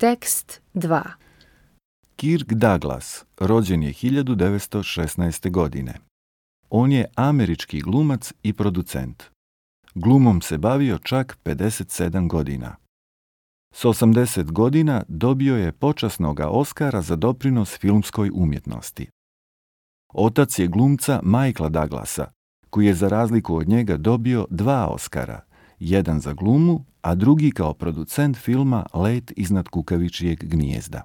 Tekst 2. Kirk Douglas rođen je 1916. godine. On je američki glumac i producent. Glumom se bavio čak 57 godina. S 80 godina dobio je počasnoga Oskara za doprinos filmskoj umjetnosti. Otac je glumca Michaela Douglasa, koji je za razliku od njega dobio 2 Oskara, jedan za glumu, a drugi kao producent filma Let iznad kukavičjeg gnijezda.